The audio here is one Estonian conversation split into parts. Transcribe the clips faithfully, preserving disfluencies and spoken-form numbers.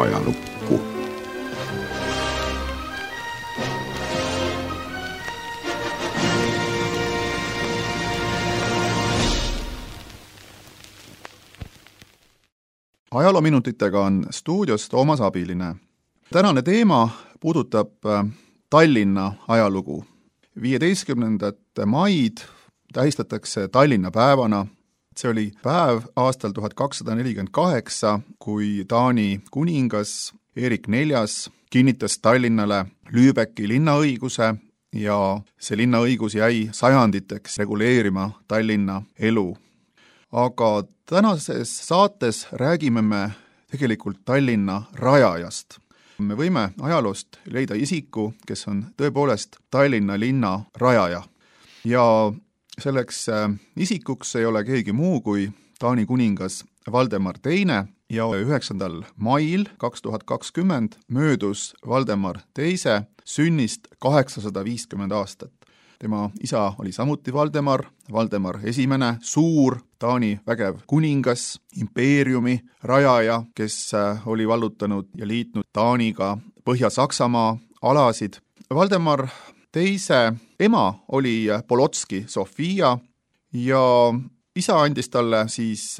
ajalukku. Ajaloominutitega on stuudios Toomas Abiline. Tänane teema puudutab Tallinna ajalugu. viieteistkümnendat maid tähistatakse Tallinna päevana. See oli päev aastal tuhat kakssada nelikümmend kaheksa, kui Taani kuningas Erik neljas kinnitas Tallinnale Lübecki linnaõiguse ja see linnaõigus jäi sajanditeks reguleerima Tallinna elu. Aga tänases saates räägime me tegelikult Tallinna rajajast. Me võime ajaloost leida isiku, kes on tõepoolest Tallinna linna rajaja. Ja selleks isikuks ei ole keegi muu kui Taani kuningas Valdemar teine ja üheksandal mail kaks tuhat kakskümmend möödus Valdemar teise sünnist kaheksasada viiskümmend aastat. Tema isa oli samuti Valdemar, Valdemar esimene, suur Taani vägev kuningas, impeeriumi rajaja, kes oli vallutanud ja liitnud Taaniga Põhja-Saksamaa alasid. Valdemar teise ema oli Polotski Sofia ja isa andis talle siis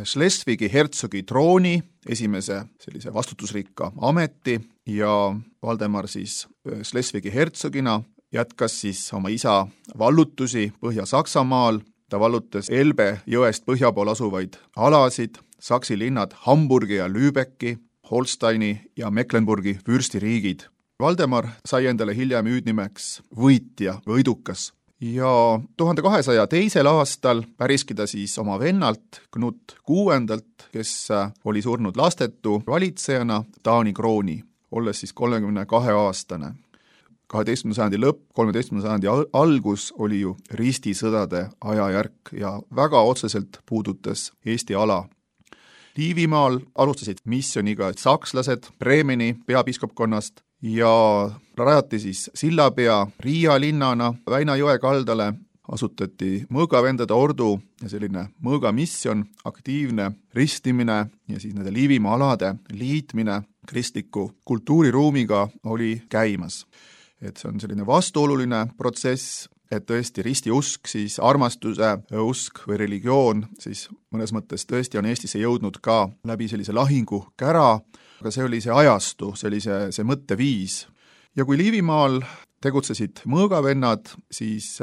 Schleswigi hertsogi trooni, esimese sellise vastutusrikka ameti ja Valdemar siis Schleswigi hertsogina jätkas siis oma isa vallutusi Põhja-Saksamaal. Ta vallutas Elbe jõest põhja pool asuvaid alasid, Saksi linnad Hamburgi ja Lübecki, Holsteini ja Mecklenburgi vürstiriigid. Valdemar sai endale hiljem hüüdnimeks võitja, võidukas. Ja tuhande kahesaja teisel aastal päriski ta siis oma vennalt Knut kuuendalt, kes oli surnud lastetu valitsejana Taani krooni, olles siis kolmekümne kahe aastane. kaheteistkümnenda sajandi lõpp, kolmeteistkümnenda sajandi algus oli ju ristisõdade ajajärk ja väga otseselt puudutas Eesti ala. Liivimaal alustasid missioniga sakslased Bremeni peapiiskopkonnast ja rajati siis sillapea Riia linnana Väina jõe kaldale, asutati mõõgavendade ordu ja selline mõõgamisjon, aktiivne ristimine ja siis nende Liivimaa alade liitmine kristliku kultuuriruumiga oli käimas. Et see on selline vastuoluline protsess, et tõesti ristiusk, siis armastuse usk või religioon, siis mõnes mõttes tõesti on Eestisse jõudnud ka läbi sellise lahingu kära, aga see oli see ajastu, see oli see, see mõtteviis. Ja kui Liivimaal tegutsesid mõõgavennad, siis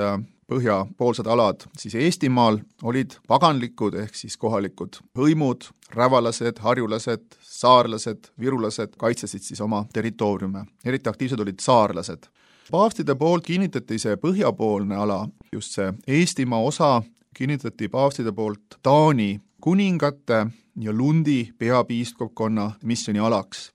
põhjapoolsed alad, siis Eestimaal olid paganlikud ehk siis kohalikud hõimud, rävalased, harjulased, saarlased, virulased kaitsesid siis oma territooriume. Eriti aktiivsed olid saarlased. Paavstide poolt kinnitati see põhjapoolne ala, just see Eestimaa osa kinnitati paavstide poolt Taani kuningate ja Lundi peapiiskopkonna missioni alaks.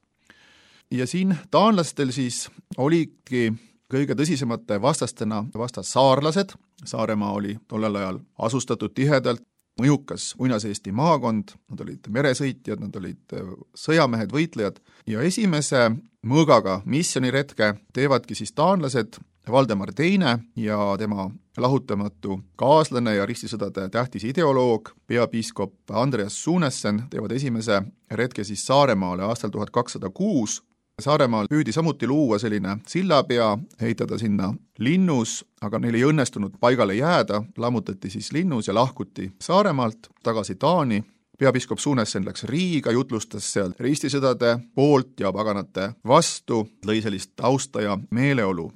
Ja siin taanlastel siis olidki kõige tõsisemate vastastena vastas saarlased. Saaremaa oli tollel ajal asustatud tihedalt, mõjukas Uinas-Eesti maakond, nad olid meresõitjad, nad olid sõjamehed, võitlejad ja esimese mõõgaga missioniretke teevadki siis taanlased Valdemar teine ja tema lahutamatu kaaslane ja ristisõdade tähtis ideoloog, peapiiskop Andreas Sunessen teevad esimese retke siis Saaremaale aastal tuhat kakssada kuus. Saaremaal püüdi samuti luua selline sillapea, heitada sinna linnus, aga neil ei õnnestunud paigale jääda, lammutati siis linnus ja lahkuti Saaremaalt tagasi Taani. Peapiiskop Sunessen läks Riiga, jutlustas seal ristisõdade poolt ja paganate vastu, lõi sellist tausta ja meeleolu.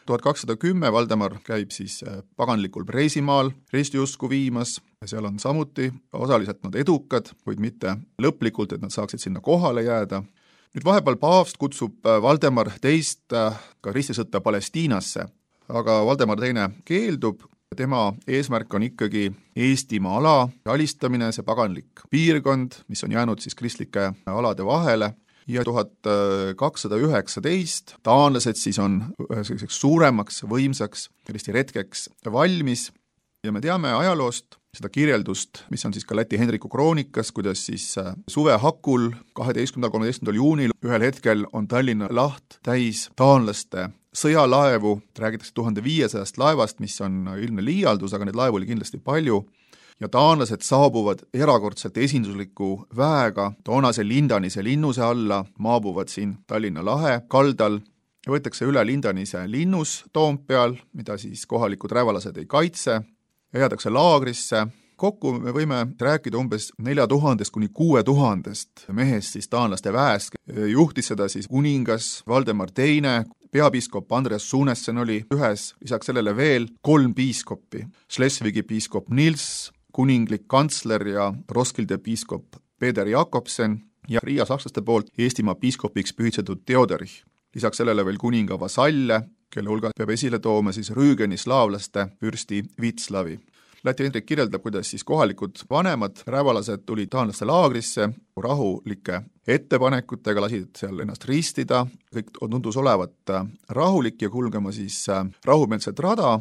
tuhat kakssada kümme Valdemar käib siis paganlikul Preisimaal ristiusku viimas, seal on samuti osaliselt nad edukad, kuid mitte lõplikult, et nad saaksid sinna kohale jääda. Nüüd vahepeal paavst kutsub Valdemar teist ka ristisõtta Palestiinasse, aga Valdemar teine keeldub. Tema eesmärk on ikkagi Eestimaa ala alistamine, see paganlik piirkond, mis on jäänud siis kristlike alade vahele. Ja tuhat kakssada üheksateist taanlased siis on selliseks suuremaks, võimsaks ristiretkeks valmis. Ja me teame ajaloost seda kirjeldust, mis on siis ka Läti Henriku kroonikas, kuidas siis suve hakul kaheteistkümnendal kolmeteistkümnendal juunil ühel hetkel on Tallinna laht täis taanlaste sõjalaevu, räägitakse tuhande viiesajast laevast, mis on ilmne liialdus, aga neid laevu oli kindlasti palju. ja taanlased saabuvad erakordselt esindusliku väega toonase Lindanise linnuse alla, maabuvad siin Tallinna lahe kaldal, võetakse üle Lindanise linnus Toompeal, mida siis kohalikud rävalased ei kaitse, ja jäädakse laagrisse. Kokku me võime rääkida umbes nelja tuhandest kuni kuue tuhandest mehest siis taanlaste väest. Juhtis seda siis kuningas Valdemar teine, peapiiskop Andreas Sunessen oli ühes, lisaks sellele veel kolm piiskoppi. Schleswigi piiskop Nils, kuninglik kantsler ja Roskilde piiskop Peter Jakobsen ja Riia sakslaste poolt Eestimaa piiskopiks pühitsetud Theodorich. Lisaks sellele veel kuninga vasalle, kelle hulga peab esile tooma siis Rüügeni slaavlaste vürsti Vitslavi. Läti Hendrik kirjeldab, kuidas siis kohalikud vanemad rävalased tulid taanlaste laagrisse rahulike ettepanekutega, lasid seal ennast ristida, kõik tundus olevat rahulik ja kulgema siis rahumeelset rada,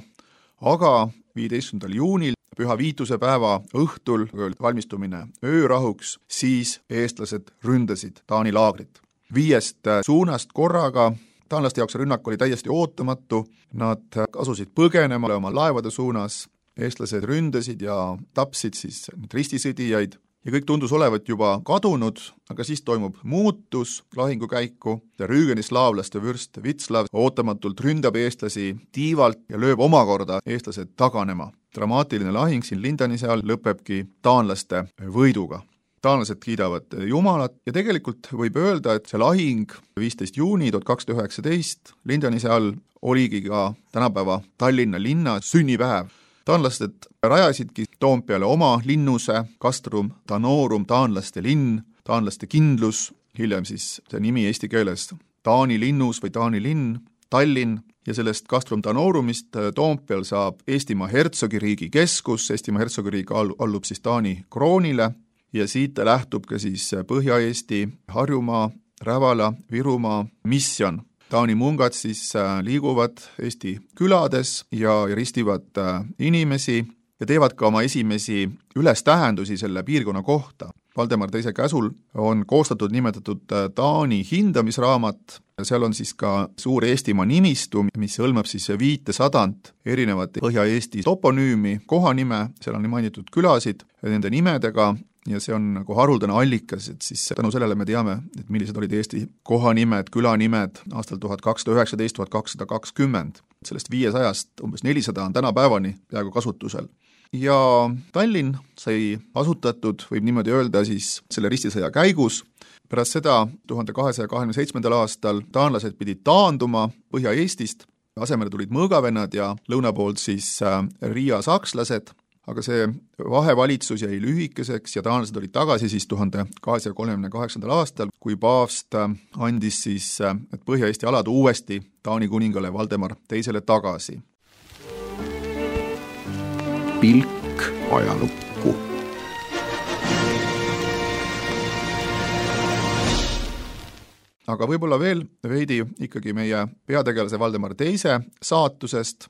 aga viieteistkümnendal juunil, püha viituse päeva õhtul, valmistumine öörahuks, siis eestlased ründasid Taani laagrit. Viiest suunast korraga, taanlaste jaoks rünnak oli täiesti ootamatu, nad asusid põgenema oma laevade suunas, eestlased ründasid ja tapsid siis ristisõdijaid ja kõik tundus olevat juba kadunud, aga siis toimub muutus lahingukäiku. Rüügeni slaavlaste vürst Vitslav ootamatult ründab eestlasi tiivalt ja lööb omakorda eestlased taganema. Dramaatiline lahing siin Lindanise all lõpebki taanlaste võiduga. Taanlased kiidavad Jumalat ja tegelikult võib öelda, et see lahing viisteist juuni tuhat kakssada üheksateist Lindanise all oligi ka tänapäeva Tallinna linna sünnipäev. Taanlased rajasidki Toompeale oma linnuse, Castrum Danorum, taanlaste linn, taanlaste kindlus, hiljem siis see nimi eesti keeles Taani linnus või Taani linn, Tallinn, ja sellest Castrum Danorumist Toompeal saab Eestimaa hertsogiriigi keskus, Eestimaa hertsogiriik allub siis Taani kroonile ja siit lähtub ka siis Põhja-Eesti, Harjumaa, Rävala, Virumaa misjon. Taani mungad siis liiguvad Eesti külades ja ristivad inimesi ja teevad ka oma esimesi ülestähendusi selle piirkonna kohta. Valdemar teise käsul on koostatud nimetatud Taani hindamisraamat, seal on siis ka suur Eestimaa nimistu, mis hõlmab siis viitesadant erinevat Põhja-Eesti toponüümi, kohanime, seal on mainitud külasid nende nimedega, ja see on nagu haruldane allikas, et siis tänu sellele me teame, et millised olid Eesti kohanimed, külanimed aastal tuhat kakssada üheksateist tuhat kakssada kakskümmend. Sellest viiesajast umbes nelisada on tänapäevani peaaegu kasutusel. Ja Tallinn sai asutatud, võib niimoodi öelda, siis selle ristisõja käigus. Pärast seda tuhande kahesaja kahekümne seitsmendal aastal taanlased pidid taanduma Põhja-Eestist, asemele tulid mõõgavennad ja lõuna poolt siis Riia sakslased, aga see vahevalitsus jäi lühikeseks ja taanlased olid tagasi siis tuhande kahesaja kolmekümne kaheksandal aastal, kui paavst andis siis et Põhja-Eesti alad uuesti Taani kuningale Valdemar teisele tagasi. Pilk ajalukku. Aga võib-olla veel veidi ikkagi meie peategelase Valdemar teise saatusest,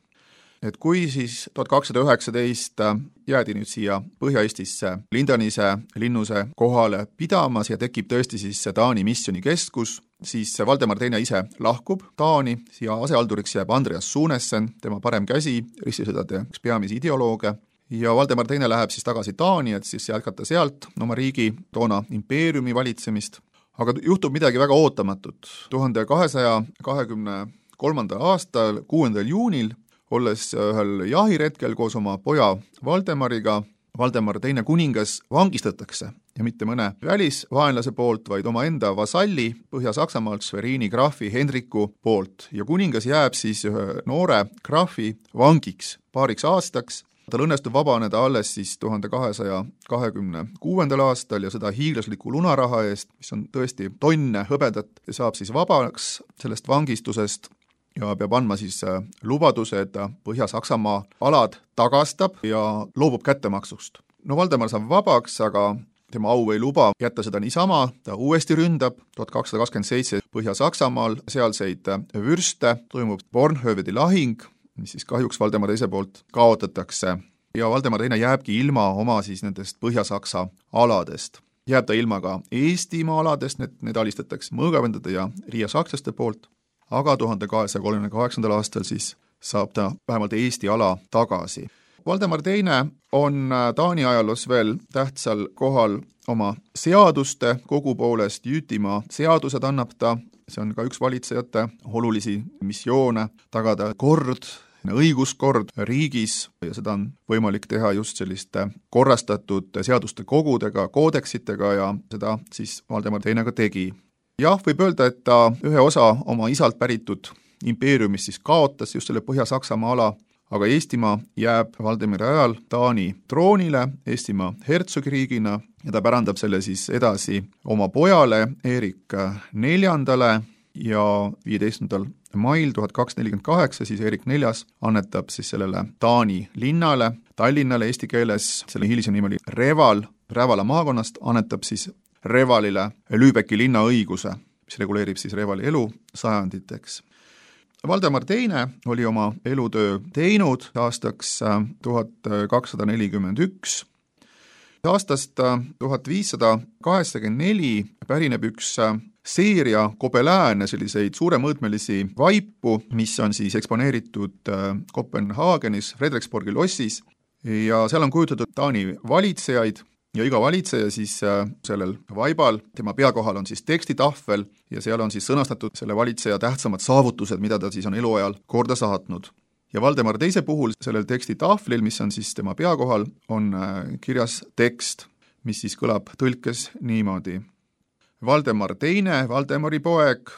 et kui siis tuhat kakssada üheksateist jäädi nüüd siia Põhja-Eestisse Lindanise linnuse kohale pidamas ja tekib tõesti siis Taani misjoni keskus, siis Valdemar teine ise lahkub Taani, siia asealduriks jääb Andreas Sunessen, tema parem käsi, ristisõdade üks peamisi ideolooge, ja Valdemar teine läheb siis tagasi Taani, et siis jätkata sealt oma riigi toona impeeriumi valitsemist. Aga juhtub midagi väga ootamatut. tuhande kahesaja kahekümne kolmandal aastal, kuuendal juunil, olles ühel jahiretkel koos oma poja Valdemariga, Valdemar teine kuningas vangistatakse ja mitte mõne välisvaenlase poolt, vaid oma enda vasalli Põhja-Saksamaalt Schwerini graafi Hendriku poolt. Ja kuningas jääb siis ühe noore graafi vangiks paariks aastaks. Tal õnnestub vabaneda alles siis tuhande kahesaja kahekümne kuuendal aastal ja seda hiiglasliku lunaraha eest, mis on tõesti tonne hõbedat, saab siis vabaks sellest vangistusest ja peab andma siis lubaduse, et ta Põhja-Saksamaa alad tagastab ja loobub kättemaksust. No Valdemar saab vabaks, aga tema au ei luba jätta seda niisama, ta uuesti ründab tuhat kakssada kakskümmend seitse Põhja-Saksamaal sealseid vürste, toimub Bornhövedi lahing, mis siis kahjuks Valdemar teise poolt kaotatakse ja Valdemar teine jääbki ilma oma siis nendest Põhja-Saksa aladest. Jääb ta ilma ka Eestimaa aladest, need, need alistatakse mõõgavendade ja Riia sakslaste poolt, aga tuhande kahesaja kolmekümne kaheksandal aastal siis saab ta vähemalt Eesti ala tagasi. Valdemar teine on Taani ajaloos veel tähtsal kohal oma seaduste kogu poolest, Jütimaa seadused annab ta, see on ka üks valitsejate olulisi missioone, tagada kord, õiguskord riigis ja seda on võimalik teha just selliste korrastatud seaduste kogudega, koodeksitega ja seda siis Valdemar teine ka tegi. Jah, võib öelda, et ta ühe osa oma isalt päritud impeeriumist siis kaotas just selle Põhja-Saksamaa ala, aga Eestimaa jääb Valdemari ajal Taani troonile Eestimaa hertsogiriigina ja ta pärandab selle siis edasi oma pojale Erik neljandale ja viieteistkümnendal mail tuhat kakssada nelikümmend kaheksa siis Erik neljas annetab siis sellele Taani linnale, Tallinnale eesti keeles, selle hilisem nimi oli Reval, Rävala maakonnast, annetab siis Revalile Lübecki linna õiguse, mis reguleerib siis Revali elu sajanditeks. Valdemar teine oli oma elutöö teinud aastaks tuhat kakssada nelikümmend üks. Aastast tuhat viissada kaheksakümmend neli pärineb üks seeria kobelääne, selliseid suuremõõtmelisi vaipu, mis on siis eksponeeritud Kopenhaagenis, Frederiksborgi lossis ja seal on kujutatud Taani valitsejaid ja iga valitseja siis sellel vaibal, tema pea kohal on siis tekstitahvel ja seal on siis sõnastatud selle valitseja tähtsamad saavutused, mida ta siis on eluajal korda saatnud. Ja Valdemar teise puhul sellel tekstitahvlil, mis on siis tema pea kohal, on kirjas tekst, mis siis kõlab tõlkes niimoodi. Valdemar teine, Valdemari poeg,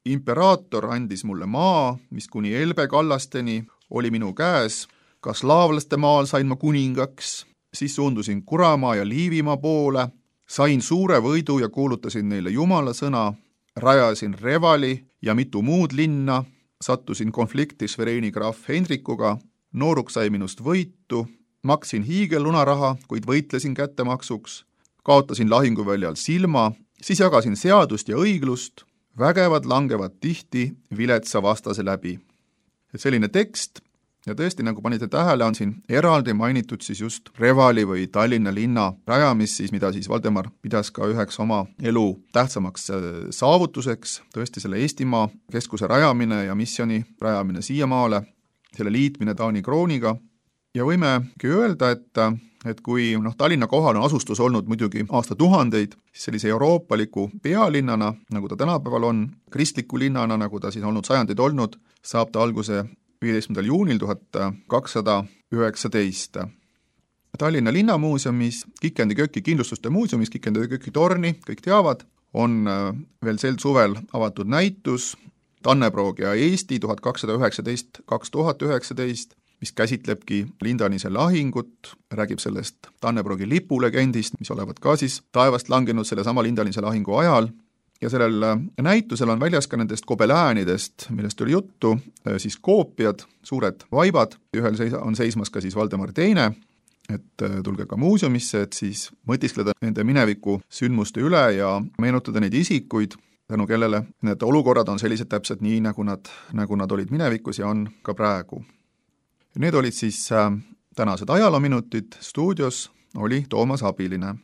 imperaator andis mulle maa, mis kuni Elbe kallasteni oli minu käes, ka slaavlaste maal sain ma kuningaks, siis suundusin Kuramaa ja Liivimaa poole, sain suure võidu ja kuulutasin neile Jumala sõna, rajasin Revali ja mitu muud linna, sattusin konflikti Svereini graaf Hendrikuga, nooruk sai minust võitu, maksin hiigellunaraha, kuid võitlesin kättemaksuks, kaotasin lahinguväljal silma, siis jagasin seadust ja õiglust, vägevad langevad tihti viletsa vastase läbi. Et selline tekst, ja tõesti, nagu panite tähele, on siin eraldi mainitud siis just Revali või Tallinna linna rajamist, siis mida siis Valdemar pidas ka üheks oma elu tähtsamaks saavutuseks, tõesti selle Eestimaa keskuse rajamine ja missioni rajamine siiamaale, selle liitmine Taani krooniga. Ja võimegi öelda, et, et kui noh, Tallinna kohal on asustus olnud muidugi aastatuhandeid, siis sellise euroopaliku pealinnana, nagu ta tänapäeval on, kristliku linnana, nagu ta siis olnud sajandeid olnud, saab ta alguse viieteistkümnendal juunil tuhat kakssada üheksateist. Tallinna linnamuuseumis, Kikendi köki kindlustuste muuseumis, Kikendi köki torni, kõik teavad, on veel sel suvel avatud näitus Tanneproog ja Eesti tuhat kakssada üheksateist kaks tuhat üheksateist, mis käsitlebki Lindanise lahingut, räägib sellest Tanneprogi lipulegendist, mis olevat ka siis taevast langenud selle sama Lindanise lahingu ajal. Ja sellel näitusel on väljas ka nendest kobeläänidest, millest oli juttu, siis koopiad, suured vaibad, ühel on seismas ka siis Valdemar teine, et tulge ka muuseumisse, et siis mõtiskleda nende mineviku sündmuste üle ja meenutada neid isikuid, tänu kellele need olukorrad on sellised täpselt nii, nagu nad, nagu nad olid minevikus ja on ka praegu. Need olid siis tänased ajaloominutid, stuudios oli Toomas Abiline.